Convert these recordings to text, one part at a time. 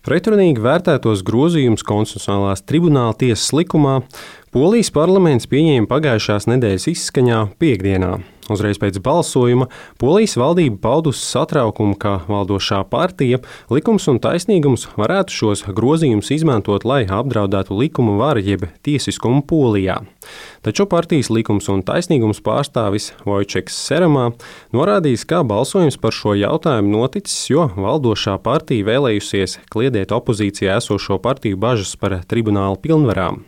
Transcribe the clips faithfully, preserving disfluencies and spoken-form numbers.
Pretrunīgi vērtētos grozījumus Konstitucionālās tribunāla tiesas likumā Polijas parlaments pieņēma pagājušās nedēļas izskaņā piekdienā. Uzreiz pēc balsojuma Polijas valdība paudusi satraukumu, ka valdošā partija Likums un taisnīgums varētu šos grozījumus izmantot, lai apdraudētu likuma varu jeb tiesiskumu Polijā. Taču partijas Likums un taisnīgums pārstāvis Vojčeks Seramā norādījis, ka balsojums par šo jautājumu noticis, jo valdošā partija vēlējusies kliedēt opozīcijā esošo partiju bažas par tribunāla pilnvarām.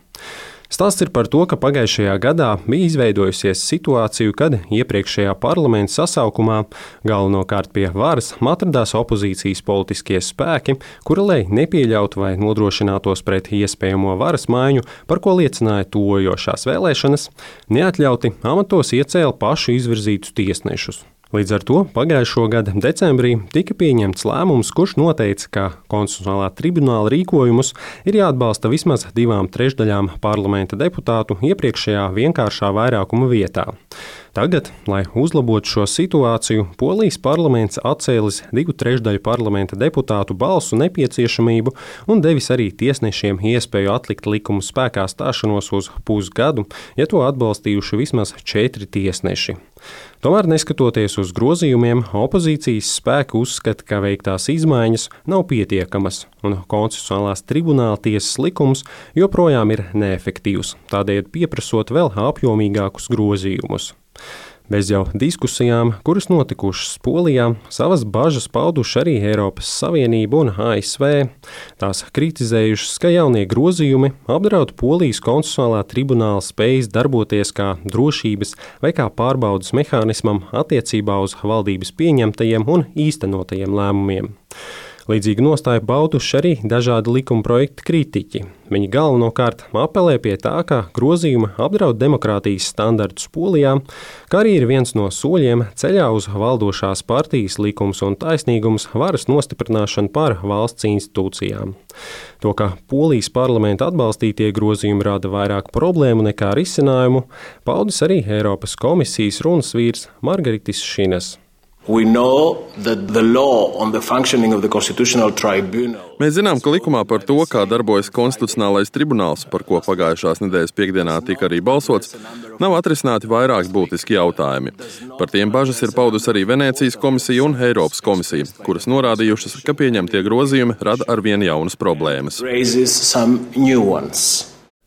Stāsts ir par to, ka pagājušajā gadā bija izveidojusies situācija, kad iepriekšējā parlamenta sasaukumā galvenokārt pie varas atradās opozīcijas politiskie spēki, kuri, lai nepieļautu vai nodrošinātos pret iespējamo varas maiņu, par ko liecināja tuvojošās vēlēšanas, neatļauti amatos iecēla pašu izvirzītus tiesnešus. Līdz ar to pagājušo gada decembrī tika pieņemts lēmums, kurš noteica, ka Konstitucionālā tribunāla rīkojumus ir jāatbalsta vismaz divām trešdaļām parlamenta deputātu iepriekšējā vienkāršā vairākuma vietā. Tagad, lai uzlabotu šo situāciju, Polijas parlaments atcēlis divu trešdaļu parlamenta deputātu balsu nepieciešamību un devis arī tiesnešiem iespēju atlikt likuma spēkā stāšanos uz pusgadu, ja to atbalstījuši vismaz četri tiesneši. Tomēr, neskatoties uz grozījumiem, opozīcijas spēki uzskata, ka veiktās izmaiņas nav pietiekamas, un Konstitucionālās tribunāla tiesas likums joprojām ir neefektīvs, tādējādi pieprasot vēl apjomīgākus grozījumus. Bez jau diskusijām, kuras notikušas Polijā, savas bažas pauduši arī Eiropas Savienība un A S V. Tās kritizējušas, ka jaunie grozījumi apdraud Polijas konstitucionālā tribunāla spējas darboties kā drošības vai kā pārbaudas mehānismam attiecībā uz valdības pieņemtajiem un īstenotajiem lēmumiem. Līdzīgi nostāju pauduši arī dažādi likuma projekta kritiķi. Viņi galvenokārt apelē pie tā, ka grozījumi apdraud demokrātijas standartus Polijā, kā arī ir viens no soļiem ceļā uz valdošās partijas Likums un taisnīgums varas nostiprināšanu pār valsts institūcijām. To, ka Polijas parlamenta atbalstītie grozījumi rada vairāk problēmu nekā risinājumu, paudis arī Eiropas komisijas runas vīrs Margaritis Šinas. Mēs zinām, ka likumā par to, kā darbojas konstitucionālais tribunāls, par ko pagājušās nedēļas piekdienā tika arī balsots, nav atrisināti vairāki būtiski jautājumi. Par tiem bažas ir paudus arī Venēcijas komisija un Eiropas komisija, kuras norādījušas, ka pieņemtie grozījumi rada arvien jaunas problēmas.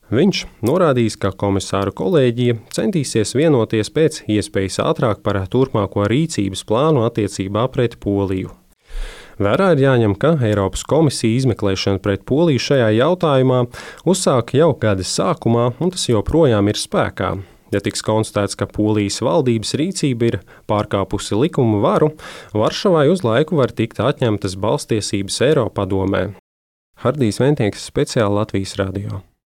Viņš norādījis, ka komisāru kolēģija centīsies vienoties pēc iespējas ātrāk par turpmāko rīcības plānu attiecībā pret Poliju. Vērā ir jāņem, ka Eiropas komisija izmeklēšanu pret Poliju šajā jautājumā uzsāka jau gada sākumā, un tas joprojām ir spēkā. Ja tiks konstatēts, ka Polijas valdības rīcība ir pārkāpusi likuma varu, Varšavai uz laiku var tikt atņemtas balstiesības Eiropadomē. Hardijs Ventieks, speciāli Latvijas radio.